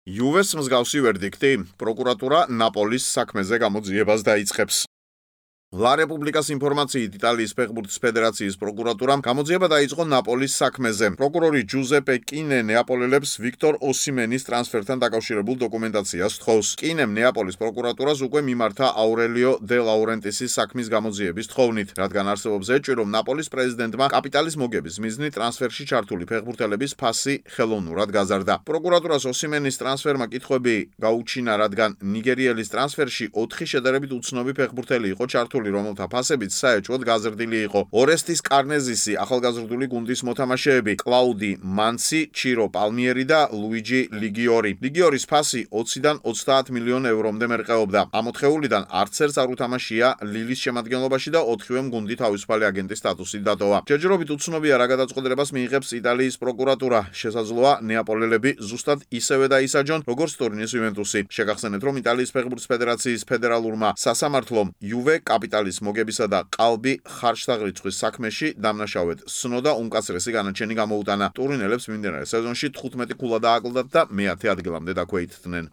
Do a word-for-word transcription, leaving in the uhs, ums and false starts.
იუვეს მსგავსი ვერდიქტი, პროკურატურა ნაპოლის საქმეზე გამოძიებას დაიწყებს. La Repubblica-s ინფორმაციით იტალიის ფეხბურთის ფედერაციის პროკურატურამ გამოძიება დაიწყო ნაპოლის საქმეზე. პროკურორი ჯუზეპე კინე ნეაპოლელებს ვიქტორ ოსიმენის ტრანსფერთან დაკავშირებულ დოკუმენტაციას თხოვს. კინემ ნეაპოლის პროკურატურას უკვე მიმართა აურელიო დე ლაურენტისის საქმის გამოძიების თხოვნით, რადგან არსებობს ეჭვი, რომ ნაპოლის პრეზიდენტმა კაპიტალის მოგების მიზნით ტრანსფერში ჩართული ფეხბურთელების ფასი ხელოვნურად გაზარდა. პროკურატურას ოსიმენის ტრანსფერმა კითხვები გაუჩინა, რადგან ნიგერიელის ტრანსფერში ოთხი შედარებით უცნობი ფეხბურთელი იყო ჩართული, რომელთა ფასებიც საეჭვოდ გაზრდილი იყო. ორესტის კარნეზისი, ახალგაზრდული გუნდის მოთამაშეები, კლაუდი მანცი, ჩირო პალმიერი და ლუიჯი ლიგიორი. ლიგიორის ფასი ოცდან ოცდაათ მილიონ ევრომდე მერყეობდა. ამოთხეულიდან არც ერთს არ უთამაშია ლილის შემადგენლობაში და ოთხივემ გუნდი თავისუფალი აგენტის სტატუსით დატოვა. ჯერჯერობით უცნობია, რა გადაწყვეტილებას მიიღებს იტალიის პროკურატურა. შესაძლოა ნეაპოლელები ზუსტად ისევე დაისაჯონ, როგორც ტორინოს იუვენტუსი. შეგახსენებთ, რომ იტალიის ფეხბურთის ფედერაციის ფედერალურმა სასამართლომ იუვე კაპიტალის მოგებისა და ყალბი ხარჯთაღრიცხვის საქმეში დამნაშავედ სნოდა უმკაცრესი განაჩენი გამოუტანა. ტურინელებს მიმდინარე სეზონში თხუთმეტი ქულა დააკლდათ და მეათე ადგილამდე დაქვეითდნენ.